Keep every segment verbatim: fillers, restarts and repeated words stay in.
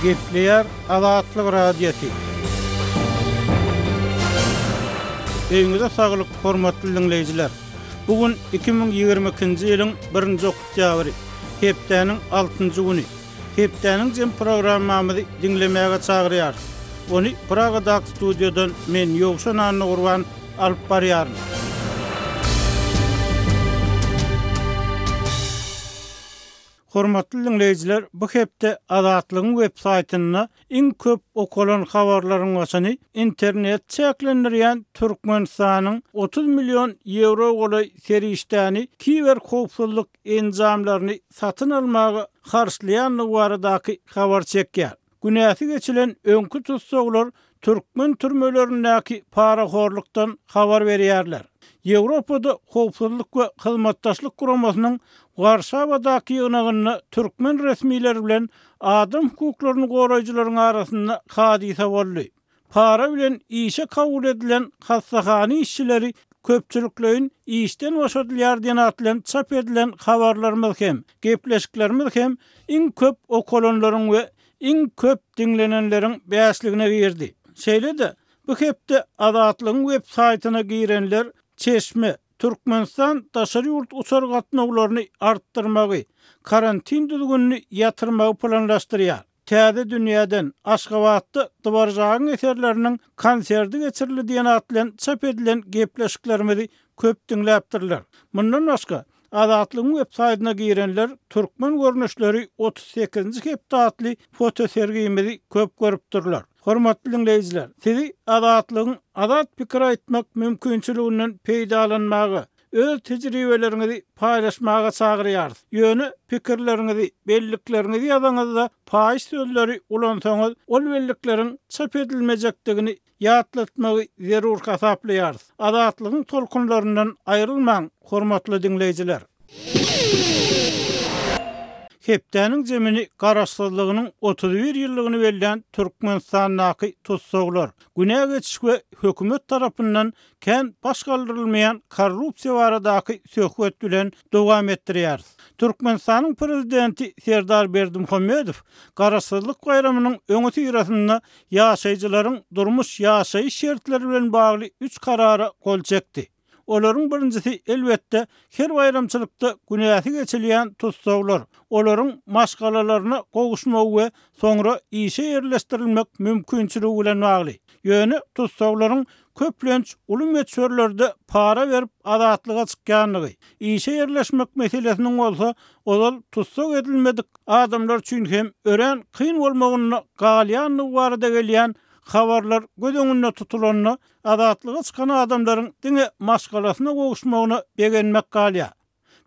Gepleýär Azatlyk Radiosy. Öýüňize saglyk, hormatly dinleýjiler. Bu gün iki müň ýigrimi ikinji ýylyň birinji oktýabry, hepdäniň altynjy güni. Hepdäniň jem programmamyzy diňlemäge çagyrýarys. Ony Pragadaky studiýadan men Ýowşan Annagurban alyp barýaryn. Hormatly dinleýjiler, bu hepde Azatlygyň web saýtynda iň köp okalan habarlaryň başyny internet çäklendirýän Türkmenistanyň otuz million ýewro golaý serişdäni kiber howpsuzlyk enjamlaryny satyn almaga harçlaýandygy baradaky habar çekýär. Günäsi geçilen öňki tutsaglar türkmen türmelerindäki parahorlukdan habar berýärler. Ýewropada howpsuzlyk we hyzmatdaşlyk guramasynyň Warşawadaky ýygnagynda türkmen resmileri bilen adam hukuklaryny goraýjylaryň arasynda hadysa boldy. Para bilen işe kabul edilen hassahana işçileri köpçülikleýin işden boşadylýar diýen at bilen çap edilen habarlarymyz hem, gepleşiklerimiz hem iň köp okalanlaryň we iň köp diňlenenleriň bäşligine girdi. Şeýle-de bu hepde Azatlygyň web saýtyna girenler Çeşme, Türkmenistan daşary ýurt uçar gatnawlaryny artdyrmagy, karantin düzgünini ýatyrmagy planlaşdyrýar. Täze dünýäden Aşgabatda Dworjagyň eserleriniň konserti geçirildi diýen at bilen çap edilen gepleşiklerimizi köp diňläpdirler. Mundan başga Azatlygyň web saýtyna girenler türkmen görnüşleri otuz sekizinji hepde atly fotosergimizi köp görüpdirler. Hormatly dinleýjiler, sizi Azatlygyň azat pikir aýtmak mümkinçiliginden peýdalanmaga, öz tejribeleriňizi paýlaşmaga çagyrýarys. Ýöne pikirleriňizi, bellikleriňizi ýazaňyzda paýyş sözleri ulansaňyz, ol bellikleriň çap edilmejekdigini ýatlatmagy zerur hasaplaýarys. Azatlygyň tolkunlaryndan aýrylmaň, hormatly dinleýjiler. Hepdäniň zemini garaşsyzlygynyň otuz bir ýyllygyny bellän Türkmenistandaky tutsaglar, günä geçiş we hökümet tarapyndan kän baş galdyrylmaýan korrupsiýa baradaky söhbet bilen dowam etdirýäris. Türkmenistanyň prezidenti Serdar Berdimuhamedow garaşsyzlyk baýramynyň öňi syrasynda ýaşaýjylaryň durmuş ýaşaýyş şertleri bilen bagly üç karara gol çekdi. Olaryň birinjisi elbetde her baýramçylykda günäsi geçilýän tutsaglar, olaryň maşgalalaryna gowuşmagy we soňra işe ýerleşdirilmek mümkinçiligi bilen bagly. Ýöne tutsaglaryň köplenç uly möçberlerde para berip azatlyga çykýandygy, işe ýerleşmek meselesiniň bolsa ozal tutsag edilmedik adamlar üçin hem örän kyn bolmagyna galýandygy barada gelýän habarlar göz öňünde tutulanda azatlyga çykan adamlaryň diňe maşgalasyna gowuşmagyna begenmek galýar.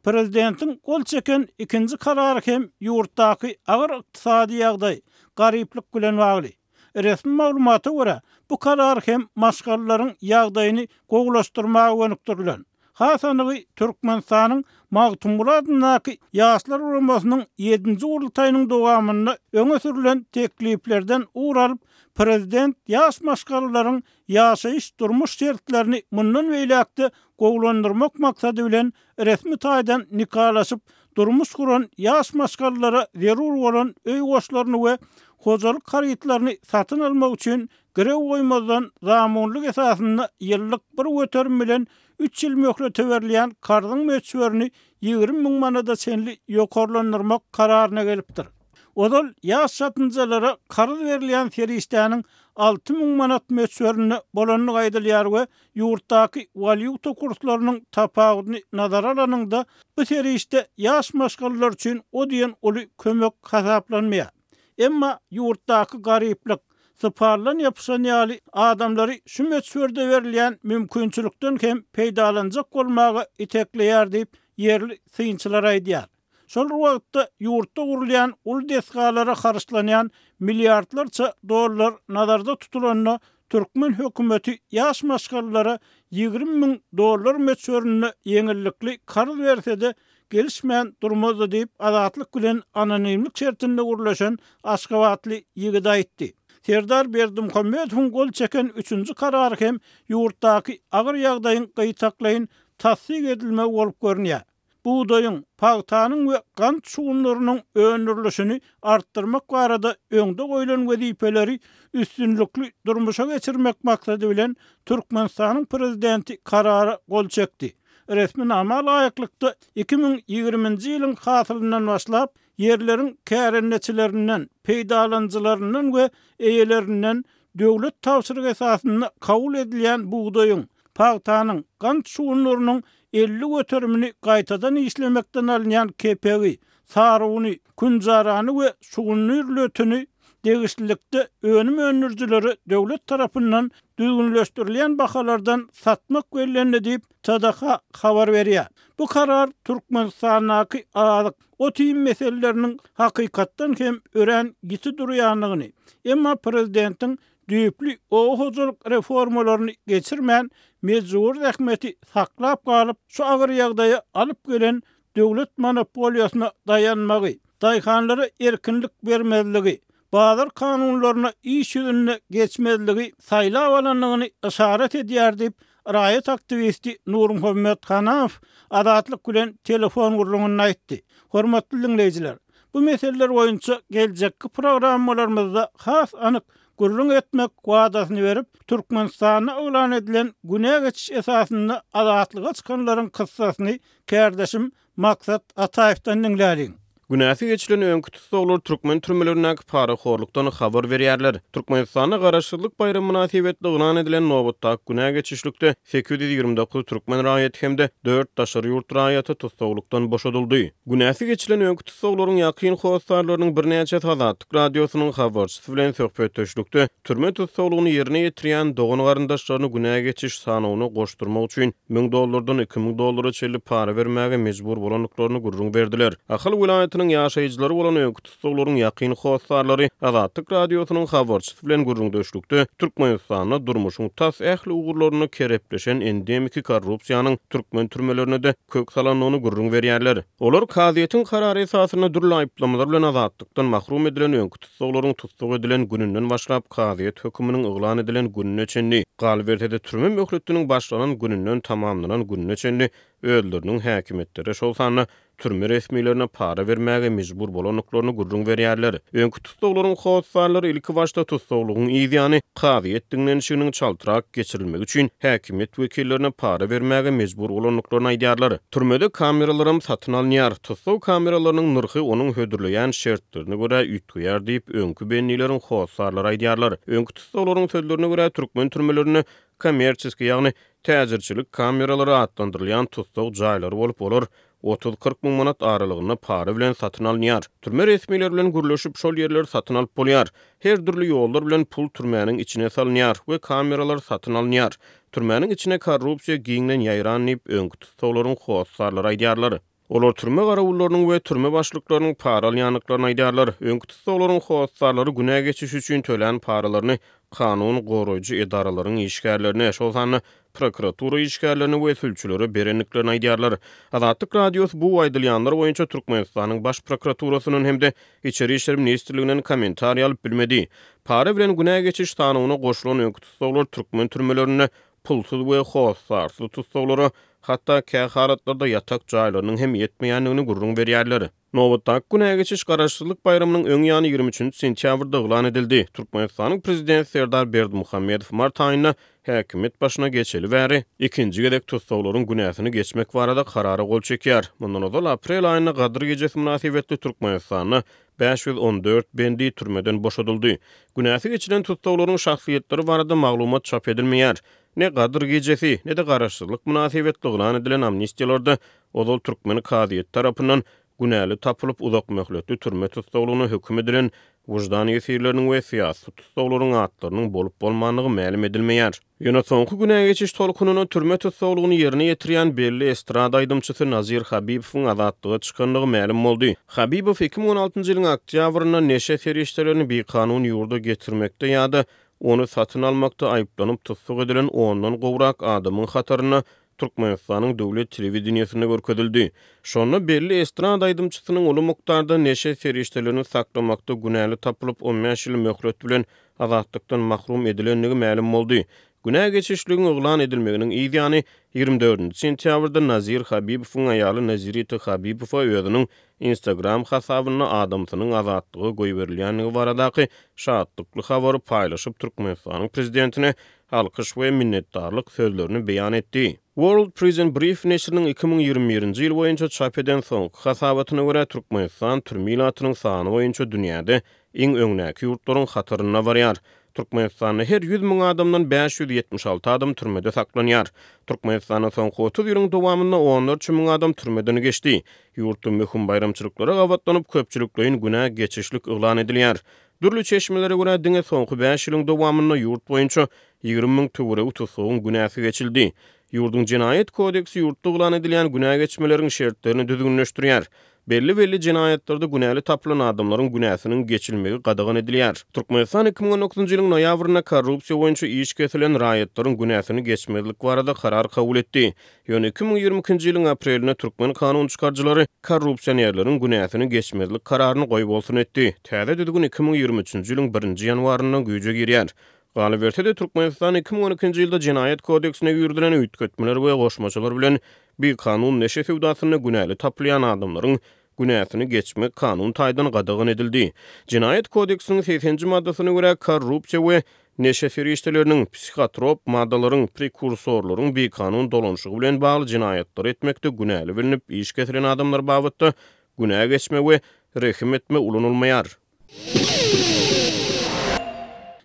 Prezidentiň gol çeken ikinji karary hem ýurtdaky agyr ykdysady ýagdaý, garyplyk bilen bagly. Resmi maglumata görä, bu karar hem maşgalalaryň ýagdaýyny gowulaşdyrmaga gönükdirilen. Hasanygy Türkmenistanyň Magtymguly adyndaky Ýaşlar guramasynyň ýedinji gurultaýynyň dowamynda öňe sürülen tekliplerden ugur alyp, prezident ýaş maşgalalaryň ýaşaýyş durmuş şertlerini mundan beýläkde gowulandyrmak maksady bilen resmi taýdan nikalaşyp, durmuş guran ýaş maşgalalara zerur bolan öý goşlaryny we hojalyk harytlaryny satyn almak üçin girew goýmazdan zamunlyk esasynda ýyllyk bir göterim bilen üç ýyl möhlete berilýän karzyň möçberini ýigrimi müň manada çenli ýokarlandyrmak kararyna gelipdir. Ozal ýaş çatynjalara karz berilýän serişdäniň alty müň manat möçberinde bolandygy aýdylýar we ýurtdaky walýuta kurslarynyň tapawudyny nazara alanyňda bu serişde ýaş maşgalalar üçin o diýen uly kömek hasaplanmaýar. Emma ýurtdaky garyplyk, syparlan ýapyşan ýaly adamlary şu möçberde berilýän mümkinçilikden hem peýdalanjak bolmaga itekleýär diýip ýerli synçylar aýdýar. Şol wagtda ýurtda gurulýan uly desgalara harçlanýan milliardlarça dollar nazarda tutulanda türkmen hökümeti ýaş maşgalalara ýigrimi müň dollar möçberinde ýeňillikli karz berse-de gelişmän durmazdy diýip Azatlyk bilen anonimlik şertinde gurlaşan Aşgabatly ýigit aýtdy. Serdar Berdimuhamedowyň gol çeken üçünji karary hem ýurtdaky agyr ýagdaýyň gyýtaklaýyn tassyk edilmegi bolup görünýär. Bugdaýyň, pagtanyň we gant şugundyrynyň öndürilişini artdyrmak barada öňde goýlan wezipeleri üstünlikli durmuşa geçirmek maksady bilen Türkmenistanyň Prezidenti Karara gol çekdi. Resminama laýyklykda, iki müň ýigriminji ýylyň hasylyndan başlap, ýerleriň kärendeçilerinden, peýdalanyjylaryndan we eýelerinden döwlet tabşyrygy esasynda kabul edilýän bugdaýyň, pagtanyň, gant şugundyrynyň elli göterimini gaýtadan işlemekden alynýan kepegi, saruny, künjarany we şugundyr lötüni degişlilikde önüm öndürijilere döwlet tarapyndan düzgünleşdirilýän bahalardan satmak bellendi diýip, T D H habar berýär. Bu karar Türkmenistandaky azyk, ot-iým meseleleriniň hakykatdan hem örän ýiti durýandygyny, emma prezidentiň düýpli oba hojalyk reformalaryny geçirmän, mejbury zähmeti saklap galyp, şu agyr ýagdaýa alyp gelen döwlet monopoliýasyna daýanmagy, daýhanlara erkinlik bermezligi, bazar kanunlaryna iş ýüzünde geçmezligi saýlap alandygyny yşarat edýär diýip, raýat aktiwisti Nurmuhammet Hanamow Azatlyk bilen telefon gürrüňinde aýtdy. Hormatly diňleýjiler, bu meseleler boýunça geljekki programmalarymyzda has anyk gürrüň etmek wadasyny berip, Türkmenistanda yglan edilen günä geçiş esasynda azatlyga çykanlaryň kyssasyny kärdeşim Maksat Ataýewden diňläliň. Günäsi geçilen öňki tussaglar türkmen türmelerindäki parahorlukdan habar berýärler. Türkmenistanda Garaşsyzlyk baýramy mynasybetli yglan edilen nobatdaky günä geçişlikde sekiz ýüz ýigrimi dokuz türkmen raýaty hem-de dört daşary ýurt raýaty tussaglykdan boşadyldy. Günäsi geçilen öňki tussaglaryň ýakyn hossarlarynyň birnäçesi Azatlyk Radiosynyň habarçysy bilen söhbetdeşlikde türme tussaglygyny ýerine ýetirýän dogan-garyndaşlaryny günä geçiş sanawyna goşdurmak üçin müň dollardan iki müň dollara çenli para bermäge mejbur bolandyklaryny gürrüň berdiler. Ahal welaýatynyň ýaşaýjylary bolan öňki tussaglaryň ýakyn hossarlary Azatlyk Radiosynyň habarçysy bilen gürrüňdeşlikde Türkmenistanda durmuşyň tas ähli ugurlarynda kerepleşen endemiki korrupsiýanyň türkmen türmelerine-de kök salandygyny gürrüň berýärler. Olar kazyýetiň karary esasynda dürli aýyplamalar bilen azatlykdan mahrum edilen öňki tussaglaryň tussag edilen gününden başlap kazyýet höküminiň yglan edilen gününe çenli, galyberse-de türme möhletiniň başlanan gününden tamamlanan gününe çenli özleriniň häkimiýetlere, şol sanda türme resmilerine para bermäge mejbur bolandyklaryny gürrüň berýärler. Öňki tussaglaryň hossarlary ilki başda tussaglygyň yz ýany kazyýet diňlenişiginiň çaltrak geçirilmegi üçin häkimiýet wekillerine para bermäge mejbur bolandyklaryny aýdýarlar. Türmede kameralaram satyn alynýar. Tussag kameralarynyň nyrhy onuň hödürleýän şertlerine görä üýtgeýär diýip, öňki bendileriň hossarlary aýdýarlar. Öňki tussaglaryň sözlerine görä, türkmen türmelerinde kommersiýa, ýagny täjirçilik kameralary atlandyrylýan tussag jaýlary bolup, olar otuz-kyrk müň manat aralygynda para bilen satyn alynýar. Türme resmileri bilen gürleşip, şol ýerleri satyn alyp bolýar. Her dürli ýollar bilen pul türmäniň içine salynýar we kameralar satyn alynýar. Türmäniň içine korrupsiýa giňden ýaýran diýip, öňki tussaglaryň hossarlary aýdýarlar. Olar türme garawullarynyň we türme başlyklarynyň para alýandyklaryny aýdýarlar. Öňki tussaglaryň hossarlary günä geçiş üçin tölän paralaryny kanun goraýjy edaralaryň işgärlerine, şol sanda prokuratura işgärlerine we sülçülere berendiklerini aýdýarlar. Azatlyk Radiosy bu aýdylýanlar boýunça Türkmenistanyň Baş prokuraturasyndan hem-de Içeri işler ministrliginden kommentariý alyp bilmedi. Para bilen günä geçiş sanawyna goşulan öňki tussaglar türkmen türmelerinde pulsuz we hossarsyz tussaglara, hatda kähalatlarda ýatak jaýlarynyň hem ýetmeýändigini gürrüň berýärler. Nobatdaky günä geçiş Garaşsyzlyk baýramynyň öň ýany ýigrimi üçünji sentýabrda yglan edildi. Türkmenistanyň Prezidenti Serdar Berdimuhamedow mart aýynda häkimiýet başyna geçeli bäri ikinji gezek tussaglaryň günäsini geçmek barada karara gol çekýär. Mundan ozal aprel aýynda Gadyr gijesi mynasybetli Türkmenistanda bäş ýüz on dört bendi türmeden boşadyldy. Günäsi geçilen tussaglaryň şahsyýetleri barada maglumat çap edilmeýär. Ne Gadyr gijesi, ne-de Garaşsyzlyk mynasybetli yglan edilen amnistiýalarda ozal türkmen kazyýeti tarapyndan günäli tapylyp uzak möhletli türme tussaglygyna höküm edilen wyždan ýesirleriniň we syýasy tussaglaryň atlarynyň bolup bolmandygy mälim edilmeýär. Ýöne soňky günä geçiş tolkunyna türme tussaglygyny ýerine ýetirýän belli estrada aýdymçysy Nazir Habibowyň azatlyga çykandygy mälim boldy. Habibow iki müň on altynjy ýylyň oktýabrynda neşe serişdelerini bikanun ýurda getirmekde ýa-da ony satyn almakda aýyplanyp tussag edilen ondan gowrak adamyň hatarynda Türkmenistanyň döwlet telewideniýesinde görkezildi. Şonda belli estrada aýdymçysynyň uly mukdarda neşe serişdelerini saklamakda günäli tapylyp on bäş ýyl möhlet bilen azatlykdan mahrum edilendigi mälim boldy. Günä geçişligiň yglan edilmeginiň yz ýany ýigrimi dördünji sentýabrda Nazir Habibowyň aýaly Nazirita Habibowa özüniň Instagram hasabynda adamsynyň azatlyga goýberilýändigi baradaky şatlykly habary paýlaşyp, Türkmenistanyň prezidentine alkyş we minnetdarlyk sözlerini beýan etdi. World Prison Brief neşiriniň iki müň ýigrimi birinji ýyl boýunça çap eden soňky hasabatyna görä, Türkmenistan türme ilatynyň sany boýunça dünýäde iň öňdäki ýurtlaryň hatarynda barýar. Türkmenistanda her ýüz müň adamdan bäş ýüz ýetmiş alty adam türmede saklanýar. Türkmenistanda soňky otuz ýylyň dowamynda onlarça müň adam türmeden geçdi. Ýurtda möhüm baýramçylyklara gabatlanyp, köpçülikleýin günä geçişlik yglan edilýär. Dürli çeşmelere görä, diňe soňky bäş ýylyň dowamynda ýurt boýunça ýigrimi müň töweregi tutsagyň günäsi geçildi. Ýurduň jenaýat kodeksi ýurtda yglan edilýän günä geçmeleriň şertlerini düzgünleşdirýär. Belli-belli jenaýatlarda günäli tapylan adamlaryň günäsiniň geçilmegi gadagan edilýär. Türkmenistan iki müň on dokuzynjy ýylyň noýabrynda korrupsiýa boýunça iş kesilen raýatlaryň günäsini geçmezlik barada karar kabul etdi. Ýöne iki müň ýigrimi ikinji ýylyň aprelinde türkmen kanun çykaryjylary korrupsionerleriň günäsini geçmezlik kararyny goýbolsun etdi. Täze düzgün iki müň ýigrimi üçünji ýylyň birinji ýanwarynda güýje girýär. Galyberse-de Türkmenistan iki müň on ikinji ýylda jenaýat kodeksine girizilen üýtgetmeler we goşmaçalar bilen bikanun neşe söwdasynda günäli tapylýan adamlaryň günäsini geçmek kanun taýdan gadagan edildi. Jenaýat kodeksiniň segsenji maddasyna görä korrupsiýa we neşe serişdeleriniň, psihotrop maddalaryň, prekursorlaryň bikanun dolanşygy bilen bagly jenaýatlary etmekde günäli bilinip iş kesilen adamlar babatda günä geçme we rehim etme ulanylmaýar.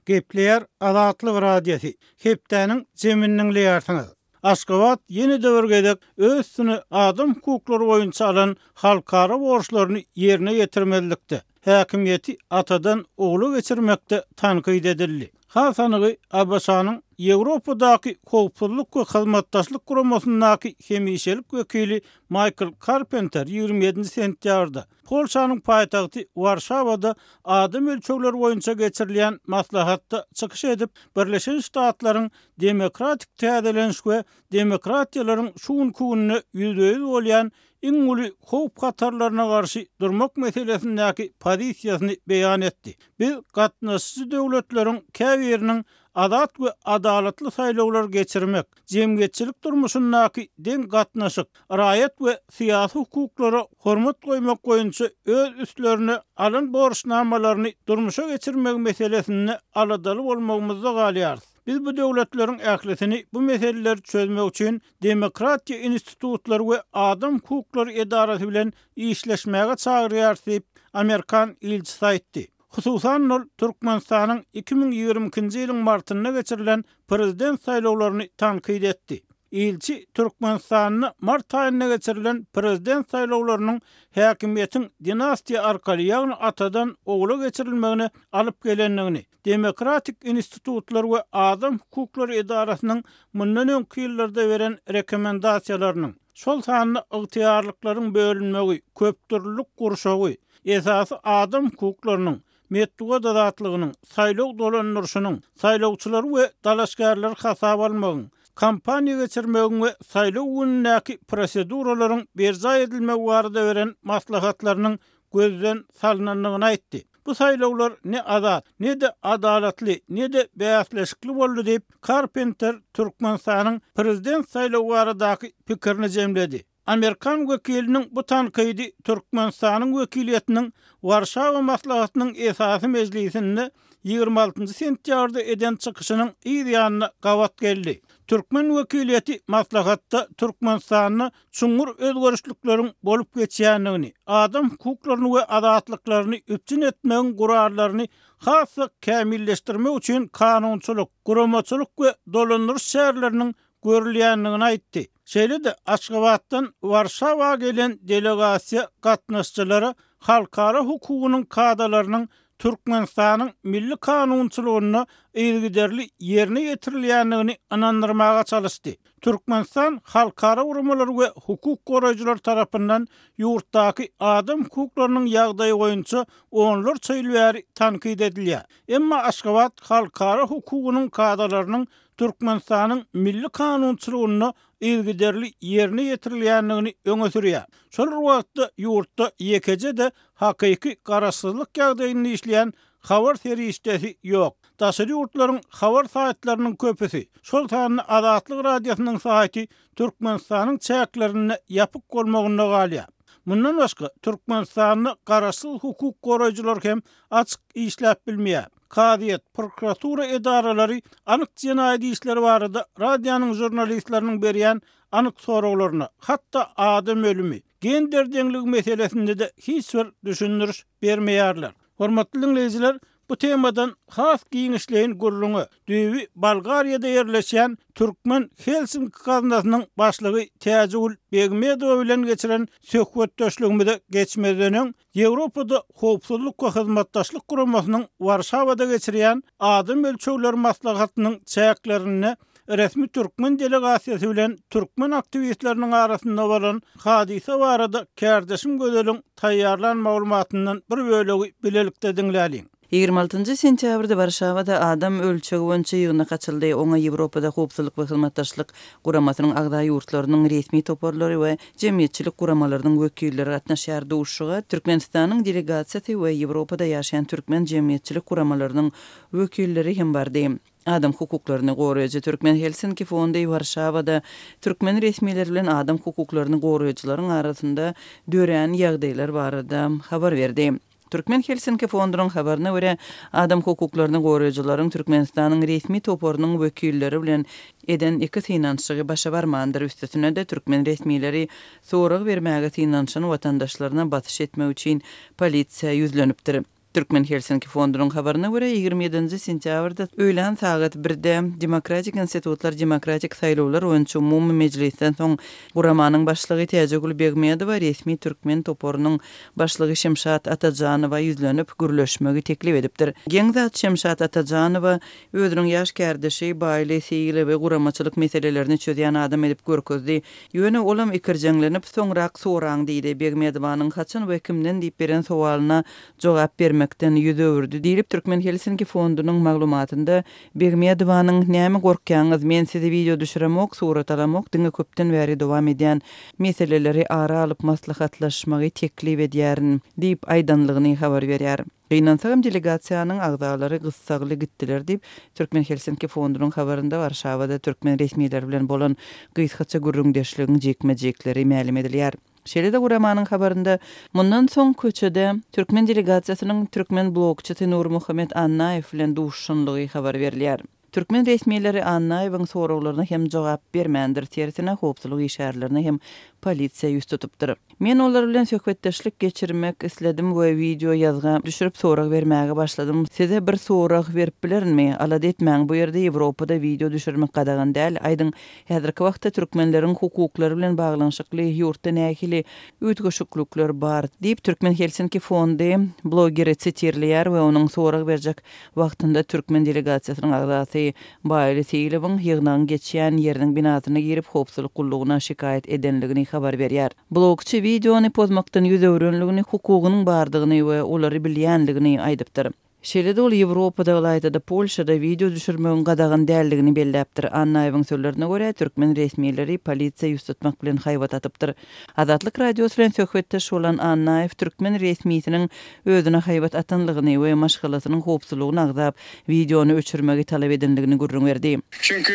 Gepleýär Azatlyk Radiosy. Hepdäniň jemini diňleýärsiňiz. Aşgabat ýene-de bir gezek öz üstüne adam hukuklary boýunça alan halkara borçlaryny ýerine ýetirmezlikde, häkimiýeti atadan ogla geçirmekde tankyt edildi. Has anygy A B Ş-nyň Ýewropadaky howpsuzlyk we hyzmatdaşlyk guramasyndaky hemişelik wekili Michael Carpenter ýigrimi ýedinji sentýabrda Polşanyň paýtagty Warşawada adam ölçegleri boýunça geçirilýän maslahatda çykyş edip, Birleşen Ştatlaryň demokratik täzeleniş we demokratiýalaryň şu günki günde ýüzbe-ýüz bolýan iň uly howp hatarlaryna garşy durmak meselesindäki pozisiýasyny beýan etdi. Biz gatnaşyjy döwletleriň käbiriniň azat we adalatly saýlawlar geçirmek, jemgyýetçilik durmuşyndaky deň gatnaşyk, raýat we syýasy hukuklara hormat goýmak boýunça öz üstlerine alan borçnamalaryny durmuşa geçirmek meselesinde aladaly bolmagymyzda galýarys. Biz bu döwletleriň ählisini bu meseleleri çözmek üçin demokratiýa institutlary we adam hukuklary edarasy bilen işleşmäge çagyrýarys diýip, Amerikan ilçisi aýtdy. Hususan ol Türkmenistanyň iki müň ýigrimi ikinji ýylyň martynda geçirilen prezident saýlawlaryny tankyt etdi. Ilçi Türkmenistanda mart aýynda geçirilen prezident saýlawlarynyň häkimiýetiň dinastiýa arkaly, ýagny atadan ogla geçirilmegine alyp gelendigini, demokratik institutlar we adam hukuklary edarasynyň mundan öňki ýyllarda beren rekomendasiýalarynyň, şol sanda ygtyýarlyklaryň bölünmegi, köpdürlülük gurşawy, esasy adam hukuklarynyň, metbugat azatlygynyň, saýlaw dolandyryşynyň, saýlawçylary we dalaşgärleri hasaba almagyň, kampaniýa geçirmegiň we saýlaw günündäki proseduralaryň berjaý edilmegi barada beren maslahatlarynyň gözden salynandygyny aýtdy. Bu saýlawlar ne azat, ne-de adalatly, ne-de bäsleşikli boldy diýip, Carpenter Türkmenistanyň prezident saýlawy baradaky pikirini jemledi. Amerikan wekiliniň bu tankydy Türkmenistanyň wekiliýetiniň Warşawa maslahatynyň esasy mejlisinde ýigrimi altynjy sentýabrda eden çykyşynyň yz ýanyna gabat geldi. Türkmen wekiliýeti maslahatda Türkmenistanda çuňňur özgerişlikleriň bolup geçýändigini, adam hukuklaryny we azatlyklaryny üpjün etmegiň gurallaryny has-da kämilleşdirmek üçin kanunçylyk, guramaçylyk we dolandyryş çäreleriniň görülýändigini aýtdy. Şeýle-de Aşgabatdan Warşawa gelen delegasiýa gatnaşyjylara halkara hukugynyň kadalarynyň Türkmenistanyň milli kanunçylygynda yzygiderli ýerine ýetirilýändigini ynandyrmaga çalyşdy. Türkmenistan halkara guramalary we hukuk goraýjylar tarapyndan ýurtdaky adam hukuklarynyň ýagdaýy boýunça onlarça ýyl bäri tankyt edilýär. Emma Aşgabat halkara hukugynyň kadalarynyň Türkmenistanyň milli kanunçylygynda yzygiderli ýerine ýetirilýändigini öňe sürýär. Şol bir wagtda ýurtda ýekeje-de hakyky garaşsyzlyk ýagdaýynda işleýän habar serişdesi ýok. Daşary ýurtlaryň habar saýtlarynyň köpüsi, şol sanda Azatlyk Radiosynyň saýty Türkmenistanyň çäklerinde ýapyk bolmagynda galýar. Mundan başga Türkmenistanda garaşsyz hukuk goraýjylar hem açyk işläp bilmeýär. Kazyýet, prokuratura edaralary anyk jenaýat işleri barada radionyň žurnalistleriniň berýän anyk soraglaryna, hatda adam ölümi, gender deňligi meselesinde de hiç bir düşündiriş bermeýärler. Hormatly dinleýjiler, bu temadan has giňişleýin gürrüňe düýbi Bolgariýada ýerleşýän Türkmen Helsinki gaznasynyň başlygy Täjigül Begmedowa bilen geçiren söhbetdeşligimize geçmezden öň Ýewropada Howpsuzlyk we Hyzmatdaşlyk Guramasynyň Warşawada geçirýän adam ölçegleri maslahatynyň çäklerinde resmi türkmen delegasiýasy bilen türkmen aktiwistleriniň arasynda bolan hadysa barada kärdeşim Gözeliň taýýarlan maglumatyndan bir bölegi bilelikde diňläliň. Ýigrimi altynjy sentýabrda Warşawada adam ölçegi boýunça ýygnak açyldy. Oňa Ýewropada Howpsuzlyk we Hyzmatdaşlyk Guramasynyň agza ýurtlarynyň resmi toparlary we jemgyýetçilik guramalarynyň wekilleri gatnaşýar. Duşuşyga Türkmenistanyň delegasiýasy we Ýewropada ýaşaýan türkmen jemgyýetçilik guramalarynyň wekilleri hem bardy. Adam hukuklaryny goraýjy Türkmen Helsinki fondy Warşawada türkmen resmileri bilen adam hukuklaryny goraýjylaryň arasynda dörän ýagdaýlar barada habar berdi. Türkmen Helsinki fondunyň habaryna görä, adam hukuklaryny goraýjylaryň Türkmenistanyň resmi toparynyň wekilleri bilen eden iki synanyşygy başa barmandyr. Üstesine-de türkmen resmileri sorag bermäge synanyşan watandaşlaryna basyş etmek üçin polisiýa ýüzlenipdir. Türkmen Helsinki fondunyň habaryna görä, ýigrimi ýedinji sentýabrda öýlän sagat birde Demokratik institutlar demokratik saýlawlar boýunça umumy mejlisden soň guramanyň başlygy Täjigül Begmedowa resmi türkmen toparynyň başlygy Şemşat Atajanowa ýüzlenip gürleşmegi teklip edipdir. Geň zat Şemşat Atajanowa özüniň ýaş kärdeşi Baýly Seýilowy guramaçylyk meselelerini çözýän adam edip görkezdi. Ýöne olam ikirjeňlenip soňrak soraň diýdi. Begmedowanyň haçan we kimden diýip beren sowalyna jogap bermekden ýüz öwürdi diýlip Türkmen Helsinki fondunyň maglumatynda Begmedowanyň näme gorkýaňyz, men sizi video düşüremok, surat alamok, diňe köpden bäri dowam edýän meseleleri ara alyp maslahatlaşmagy teklip edýärin diýip aýdanlygyny habar berýär. Gynansagam delegasiýanyň agzalary gyssagly gitdiler diýip Türkmen Helsinki fondunyň habarynda Warşawada türkmen resmileri bilen bolan gysgaça gürrüňdeşligiň jikme-jikleri mälim edilýär. Şeýle-de guramanyň habarynda mundan soň köçede türkmen delegasiýasynyň türkmen blogçysy Nurmuhammet Annaýew bilen duşuşanlygy habar berilýär. Türkmen resmileri Annaýewiň soraglaryna hem jogap bermändir, tersine howpsuzlyk işgärlerine hem polisiýa ýüz tutupdyr. Men olar bilen söhbetdeşlik geçirmek isledim we video ýazga düşürip sorag bermäge başladym. Size bir sorag berip bilerinmi? Alada etmäň, bu ýerde Ýewropada video düşürmek gadagan däl. Aýdyň, häzirki wagtda türkmenleriň hukuklary bilen baglanyşykly ýurtda nähili üýtgeşiklikler bar diýip Türkmen Helsinki fondy blogeri sitirleýär we onuň sorag berjek wagtynda türkmen delegasiýasynyň agzasy Baýly Seýilowyň ýygnagyň geçýän ýeriniň binasyna girip howpsuzlyk gullugyna şikaýat edenligini habar berýär. Blogçy videony pozmakdan ýüz öwrenligini, hukugynyň bardygyny we olary bilýänligini aýdypdyr. Şeýle-de ol Ýewropada, ylaýta-da Polşada video düşürmegiň gadagan däldigini belläpdir. Annaýewiň sözlerine görä, türkmen resmileri polisiýa ýüz tutmak bilen haýbat atypdyr. Azatlyk Radiosy bilen söhbetdeş bolan Annaýew türkmen resmisiniň özüne haýbat atanlygyny we maşgalasynyň howpsuzlygyny agzap, videony öçürmegi talap edenligini gürrüň berdi. Çünki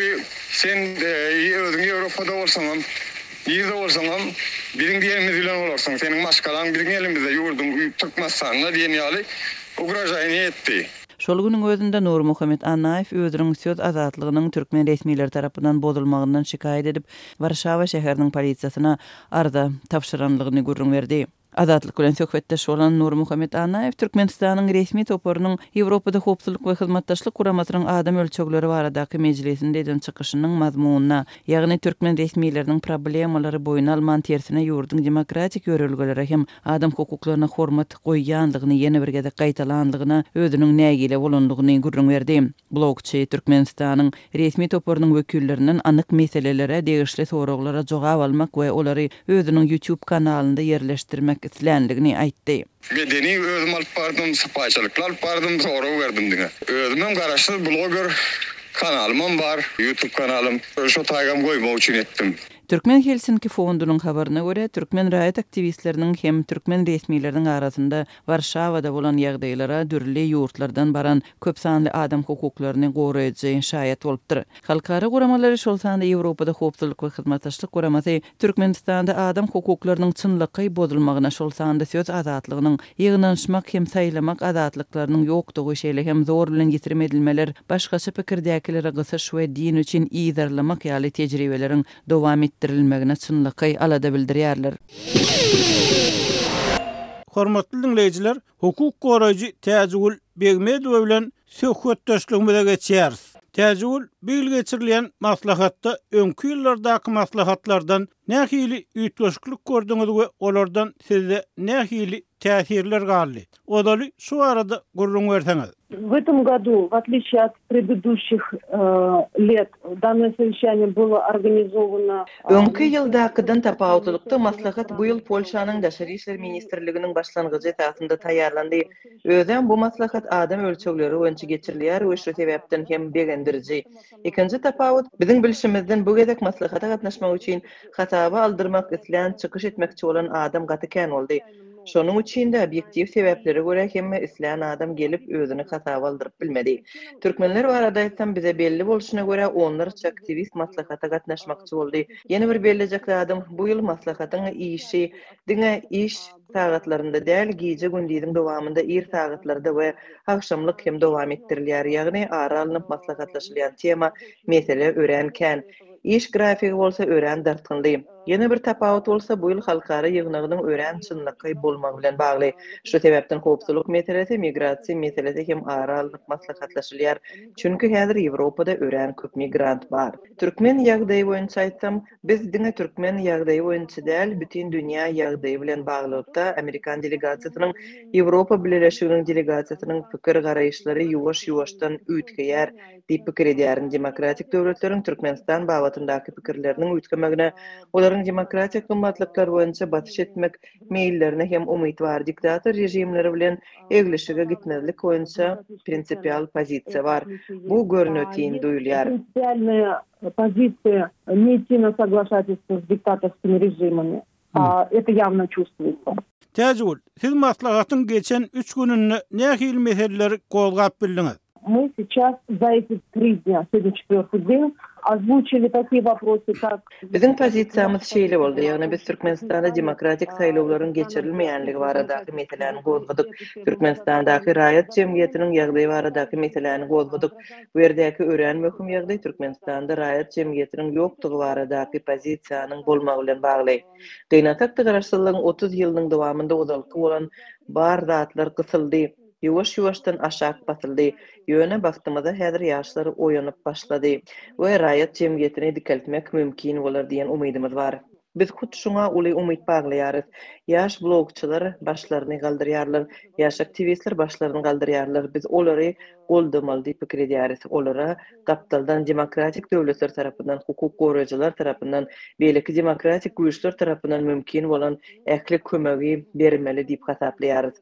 sen, e, özüň Ýewropada bolsaňam, nirde bolsaňam, biziň diýenimiz bilen bolarsyň. Seniň maşgalaň biziň elimizde, ýurduň Türkmenistanda diýen ýaly ugražaýyny etdi. Şol günüň özünde Nurmuhammet Annaýew özüniň söz azatlygynyň türkmen resmileri tarapyndan bozulmagyndan şikaýat edip, Warşawa şäheriniň polisiýasyna arza tabşyranlygyny gürrüň berdi. Azatlyk bilen söhbetdeş bolan Nurmuhammet Annaýew Türkmenistanyň resmi toparynyň Ýewropada Howpsuzlyk we Hyzmatdaşlyk Guramasynyň adam ölçegleri baradaky mejlisinde eden çykyşynyň mazmunyna, ýagny türkmen resmileriniň problemalary boýun alman tersine ýurduň demokratik ýörelgelere hem adam hukuklaryna hormat goýýanlygyny ýene bir gezek gaýtalanlygyna özüniň nägile bolanlygyny gürrüň berdi. Blogçy Türkmenistanyň resmi toparynyň wekillerinden anyk meselelere degişli soraglara jogap almak we olary özüniň YouTube kanalynda ýerleşdirmek isleýänligini aýtdy. Medeni özüm alyp bardym, sypaýçylykly alyp bardym, sorag berdim diňe. Özümem garaşsyz bloger kanalymam bar, YouTube kanalym. Şo taýgam goýmak üçin etdim. Türkmen Helsinki fondunyň habaryna görä, türkmen raýat aktiwistleriniň hem türkmen resmileriniň arasynda Warşawada bolan ýagdaýlara dürli ýurtlardan baran köp sanly adam hukuklaryny goraýjy şaýat bolupdyr. Halkara guramalary, şol sanda Ýewropada Howpsuzlyk we Hyzmatdaşlyk Guramasy Türkmenistanda adam hukuklarynyň çynlakaý bozulmagyna, şol sanda söz azatlygynyň, ýygnanyşmak hem saýlamak azatlyklarynyň ýokdugy, şeýle hem zor bilen ýitirim edilmeler, başgaça pikirdäkilere gysyş we din üçin yzarlamak ýaly tejribeleriň dowam etdirilmegine çynlakaý alada bildirýärler. Hormatly diňleýjiler, hukuk goraýjy Täjigül Begmedowa bilen söhbetdeşligimize geçýäris. Täjigül, bu ýyl geçirilýän maslahatda öňki ýyllardaky maslahatlardan nähili üýtgeşiklik gördüňiz we olardan sizde nähili täsirler galdy? Ozaly şu arada gürrüň berseňiz. В этом году, в отличие от предыдущих э, лет, данное совещание было организовано... Öňki ýyldakydan tapawutlylykda maslahat bu ýyl Polşanyň Daşary işler ministrliginiň başlangyjy esasynda taýýarlandy. Özem bu maslahat adam ölçegleri boýunça geçirilýär we şu sebäpden hem begendiriji. Ikinji tapawut biziň bilşimizden bu gezek maslahata gatnaşmak üçin hasaba aldyrmak islän çykyş etmekçi bolan adam gaty kän boldy. Şonuň üçin de obýektiw sebäplere görä hemme islän adam gelip özüni hasaba aldyryp bilmedi. Türkmenler barada aýtsam bize belli bolşuna görä onlarça aktiwist maslahata gatnaşmakçy boldy. Ýene bir bellijek zadym bu ýyl maslahatyň işi diňe iş sagatlarynda däl, gije gündiziň dowamynda ir sagatlarda we agşamlyk hem dowam etdirilýär. Ýagny ara alnyp maslahatlaşylýan tema mesele örän kän. Iş grafigi bolsa örän dartgynly. Ýene bir tapawut bolsa bu ýyl halkara ýygnagynyň örän çynlakaý bolmagy bilen bagly. Şu sebäpden howpsuzlyk meselesi, migrasiýa meselesi hem ara alnyp maslahatlaşylýar. Çünki häzir Ýewropada örän köp migrant bar. Türkmen ýagdaýy boýunça aýtsam, biz diňe türkmen ýagdaýy boýunça däl, bütün dünýä ýagdaýy bilen baglylykda Amerikan delegasiýasynyň, Ýewropa Bileleşiginiň delegasiýasynyň pikir garaýyşlary ýuwaş-ýuwaşdan üýtgeýär diýip pikir edýärin. Demokratik döwletleriň Türkmenistan babatyndaky pikirleriniň üýtgemegine, olaryň demokratik gymmatlyklar boýunça basyş etmek meýillerine hem umyt bar. Diktator režimleri bilen eglişige gitmezlik boýunça prinsipial pozisiýa bar. Bu görnütin duýulýar. Принципиальная позиция не идти на соглашательство с диктаторскими режимами. А, это явно чувствуется. Täjigül, siz maslahatyň geçen üç gününde nähili meseleleri gozgap bildiňiz? Мы сейчас за эти три дня, сегодня четвертый день, озвучили такие вопросы, как... Biziň pozisiýamyz şeýle boldy, ýagny biz Türkmenistanda demokratik saýlawlaryň geçirilmeýänligi baradaky meseläni gozgadyk. Türkmenistandaky raýat jemgyýetiniň ýagdaýy baradaky meseläni gozgadyk. Bu ýerdäki örän möhüm ýagdaý Türkmenistanda raýat jemgyýetiniň ýokdugy baradaky pozisiýanyň bolmagy bilen bagly. Gynansak-da garaşsyzlygyň otuz ýylynyň dowamynda ozalky bolan bar zatlar gysyldy. Ýuwaş-ýuwaşdan aşak basyldy. Ýöne bagtymyza häzir ýaşlar oýanyp başlady we raýat jemgyýetini dikeltmek mümkin bolar diýen umydymyz bar. Biz hut şuňa uly umyt baglaýarys. Ýaş blogçylar başlaryny galdyrýarlar, ýaş aktiwistler başlaryny galdyrýarlar. Biz olary goldamaly diýip pikir edýäris. Olara gapdaldan demokratik döwletler tarapyndan, hukuk goraýjylar tarapyndan, beýleki demokratik güýçler tarapyndan mümkin bolan ähli kömegi bermeli diýip hasaplaýarys.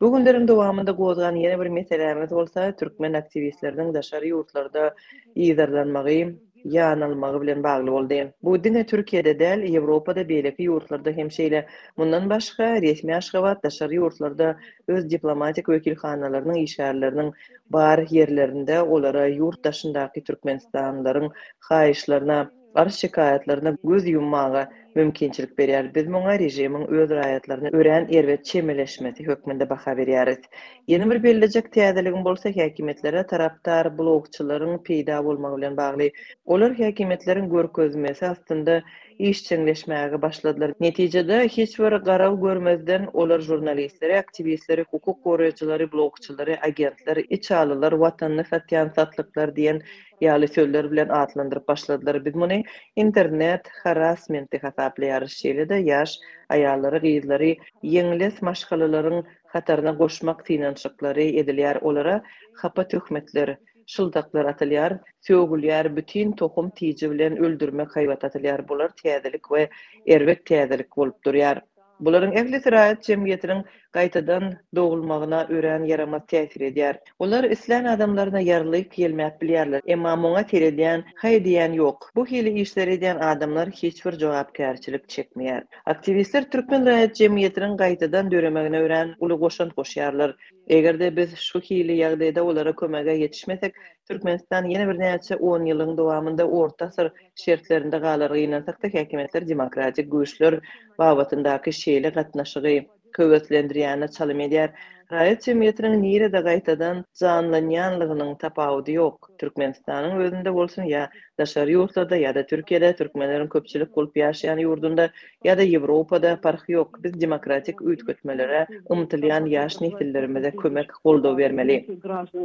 Bu günleriň dowamynda gozgan ýene bir meselämiz bolsa türkmen aktiwistleriniň daşary ýurtlarda yzarlanmagy, ýanalmagy bilen bagly boldy. Bu diňe Türkiýede däl, Ýewropada, beýleki ýurtlarda hem şeýle. Mundan başga resmi Aşgabat daşary ýurtlarda öz diplomatik wekilhanalarynyň işgärleriniň bar ýerlerinde olara ýurt daşyndaky Türkmenistanlylaryň haýyşlaryna, arz şikaýatlaryna göz ýummaga mümkinçilik berýär. Biz muňa režimiň öz raýatlaryna örän erbet çemeleşmesi hökmünde baha berýäris. Ýene bir bellijek täzeligim bolsa häkimiýetlere tarapdar blogçylaryň peýda bolmagy bilen bagly. Olar häkimiýetleriň görkezmesi astynda işjeňleşmäge başladylar. Netijede hiç bir garaw görmezden olar žurnalistleri, aktiwistleri, hukuk goraýjylary, blogçylary, agentler, içalylar, watanyny satýan satlyklar diýen ýaly sözler bilen atlandyryp başladylar. Biz muny internet harassmenti hasaplaýarys. Şeýle-de ýaş aýallary, gyzlary ýeňles maşgalalaryň hataryna goşmak synanyşyklary edilýär. Olara hapa töhmetler, şyldaklar atylýar, sögülýär, bütün tohum tiji bilen öldürmek haýbat atylýar. Bular täzelik we erbet täzelik bolup durýar. Bularyň ählisi raýat jemgyýetiniň gaýtadan dogulmagyna örän ýaramaz täsir edýär. Olar islän adamlaryna ýarlyk ýelmäp bilýärler, emma muňa seredýän, haý diýýän ýok. Bu hili işleri edýän adamlar hiç bir jogapkärçilik çekmeýär. Aktiwistler türkmen raýat jemgyýetiniň gaýtadan döremegine örän uly goşant goşýarlar. Eger-de biz şu hili ýagdaýda olara kömege ýetişmesek, Türkmenistan ýene birnäçe on ýylyň dowamynda orta asyr şertlerinde galar. Gynansak-da, häkimiýetler demokratik güýçler babatyndaky şeýle gatnaşygy höweslendirýäne çalym edýär. Raýat jemgyýetiniň nirede gaýtadan janlanýanlygynyň tapawudy ýok. Türkmenistanyň özünde bolsun ýa daşary ýurtlarda ýa-da Türkiýede türkmenleriň köpçülik bolup ýaşaýan ýurdunda ýa-da Ýewropada parhy ýok. Biz demokratik üýtgetmelere ymtylýan ýaş nesillerimize kömek, goldaw bermeli.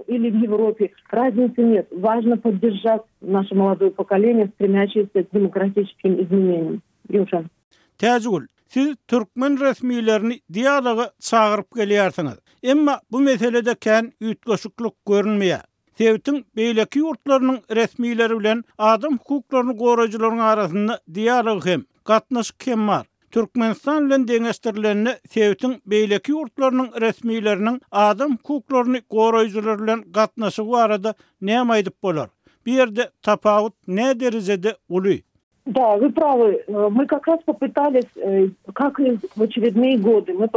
Или в Европе. Разницы нет. Важно поддержать наше молодое поколение, стремящееся к демократическим изменениям. Ýowşan. Täjigül, siz türkmen resmilerini dialoga çagyryp gelýärsiňiz. Emma bu meselede kän üýtgeşiklik görünmeýär. Sebitiň beýleki ýurtlarynyň resmileri bilen adam hukuklaryny goraýjylaryň arasynda dialog hem, gatnaşyk hem bar. Türkmenistan bilen deňeşdirilende sebitiň beýleki ýurtlarynyň resmileriniň adam hukuklaryny goraýjylar bilen gatnaşygy barada näme aýdyp bolar? Bu ýerde tapawut ne derejede uly? Да, вы правы. Мы как раз попытались, как и в очередные годы, мы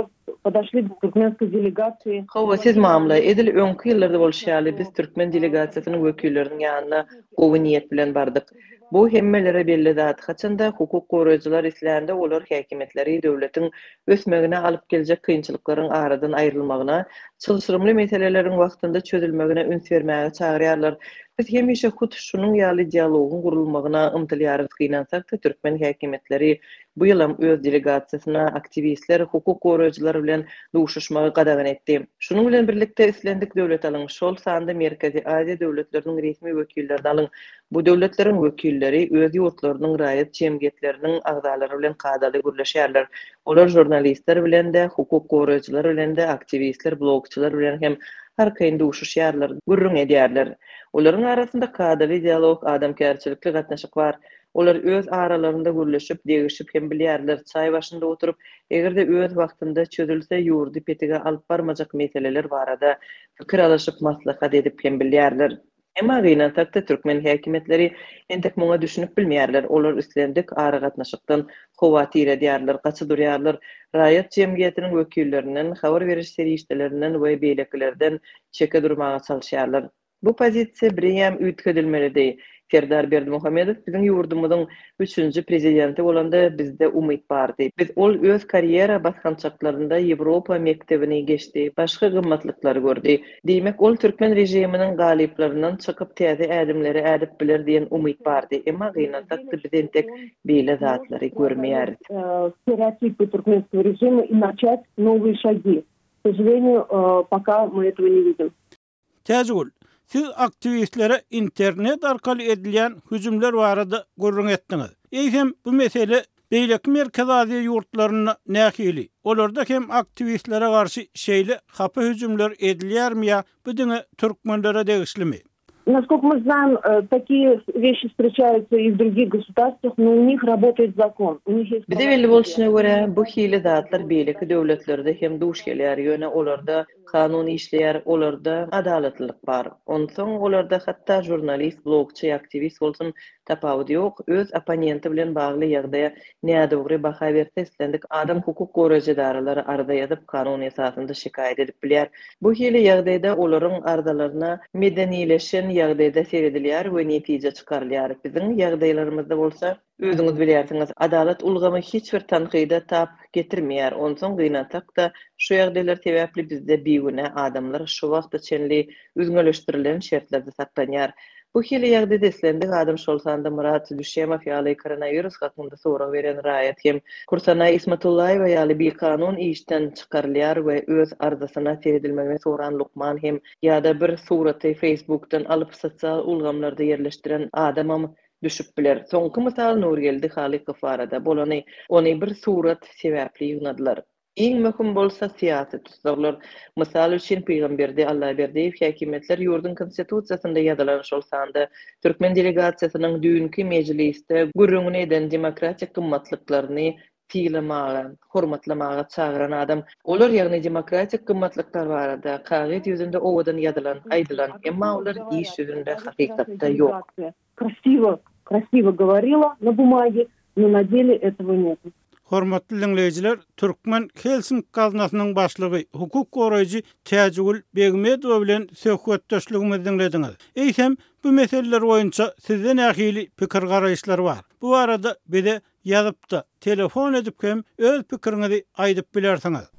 подошли к туркменской делегации. Hawa, siz mamla, edil öňki ýyllarda bolşy ýaly biz türkmen delegasiýasynyň wekilleriniň ýanyna gowy niýet bilen bardyk. Bu hemmelere belli zat. Haçanda hukuk goraýjylar islände olar häkimiýetleri döwletiň ösmegine alyp geljek kynçylyklaryň aradan aýrylmagyna, çylşyrymly meseleleriň wagtynda çözülmegine üns bermäge çagyrýarlar. Biz hemişe hut şunuň ýaly dialogyň gurulmagyna ymtylýarys. Gynansak-da türkmen häkimiýetleri bu ýylam öz delegasiýasyna aktiwistler, hukuk goraýjylar bilen duşuşmagy gadagan etdi. Şunuň bilen birlikde islendik döwlet alyň, şol sanda Merkezi Aziýa döwletleriniň resmi wekillerini alyň. Bu döwletleriň wekilleri öz ýurtlarynyň raýat jemgyýetleriniň agzalary bilen kadaly gürleşýärler. Olar žurnalistler bilen de, hukuk goraýjylar bilen de, aktiwistler, blogçylar bilen hem arkaýyn duşuşýarlar, gürrüň edýärler. Olaryň arasynda kadaly dialog, adamkärçilikli gatnaşyk bar. Olar öz aralarynda gürleşip, degişip hem bilýärler. Çaý başynda oturyp, eger-de öz wagtynda çözülse, ýurdy petige alyp barmajak meseleler barada pikir alyşyp, maslahat edip hem bilýärler. Emma gynansak-da türkmen häkimiýetleri entek muňa düşünip bilmeýärler. Olar islendik aragatnaşykdan howatyr edýärler, gaçy durýarlar. Raýat jemgyýetiniň wekillerinden, habar beriş serişdelerinden we beýlekilerden çeke durmaga çalyşýarlar. Bu pozisiýa bireýem üýtgedilmelidi. Serdar Berdimuhamedow biziň ýurdumyzyň üçünji prezidenti bolanda bizde umyt bardy. Biz ol öz karýera basgançaklarynda Ýewropa mekdebini geçdi, başga gymmatlyklary gördi. Diýmek, ol türkmen režiminiň galyplaryndan çykyp täze ädimleri ädip biler diýen umyt bardy. Emma gynansak-da biz entek beýle zatlary görmeýäris. Стереотипы туркменского режима и начать новые шаги. К сожалению, пока мы этого не видим. Täjigül, siz aktiwistlere internet arkaly edilýän hüjümler barada gürrüň etdiňiz. Eýsem bu mesele beýleki Merkezi Aziýa ýurtlarynda nähili? Olarda hem aktiwistlere garşy şeýle hapa hüjümler edilýärmi ýa bu diňe türkmenlere degişlimi? Насколько мы знаем, такие вещи встречаются и в других государствах, но у них работает закон. У них есть Bize belli bolşuna görä, bu hili zatlar beýleki döwletlerde hem duş gelýär. Ýöne olarda kanun işleýär, olarda adalatlylyk bar. Onsoň olarda hatda žurnalist, blogçy, aktiwist bolsun tapawudy ýok. Öz opponenti bilen bagly ýagdaýa nädogry baha berse islendik adam hukuk goraýjy edaralary arza ýazyp kanun esasynda şikaýat edip bilýär. Bu hili ýagdaýda olaryň arzalaryna medenileşen ýagdaýda seredilýär we netije çykarylýar. Biziň ýagdaýlarymyzda bolsa özüňiz bilýärsiňiz, adalat ulgamy hiç bir tankyda tap getirmeýär. Onsoň gynansak-da şu ýagdaýlar sebäpli bizde bigünä adamlar şu wagta çenli üzňeleşdirilen şertlerde saklanýar. Bu hili ýagdaýda islendik adam şol sanda Murat Düşemow ýaly koronawirus hakynda sorag beren raýat hem Kursanaý Ismatullaýewa ýaly bikanun işden çykarylýar we öz arzasyna seredilmegini soran lukman hem ýa-da bir suraty Facebookdan alyp sosial ulgamlarda ýerleşdiren adamam düşüp biler. Soňky mysal Nurgeldi Halykow barada bolany, ony bir surat sebäpli ýygnadylar. Iň möhüm bolsa syýasy tussaglar. Mysal üçin Pygamberdi Allaberdiýew häkimiýetler ýurduň konstitusiýasynda ýazylan şol sanda türkmen delegasiýasynyň düýnki mejlisde gürrüňini eden demokratik gymmatlyklaryny sylamaga, hormatlamaga çagyran adam. Olar, ýagny demokratik gymmatlyklar barada kagyz ýüzünde owadan ýazylan, aýdylan, emma olar iş ýüzünde hakykatda ýok. Красиво, красиво говорила на бумаге, но на деле этого нет. Hormatly diňleýjiler, Türkmen Helsinki gaznasynyň başlygy, hukuk goraýjy Täjigül Begmedowa bilen söhbetdeşligimizi diňlediňiz. Eýsem, bu meseleler boýunça sizde nähili pikir garaýyşlar bar? Bu barada bize ýazyp-da, telefon edip hem öz pikiriňizi aýdyp bilersiňiz.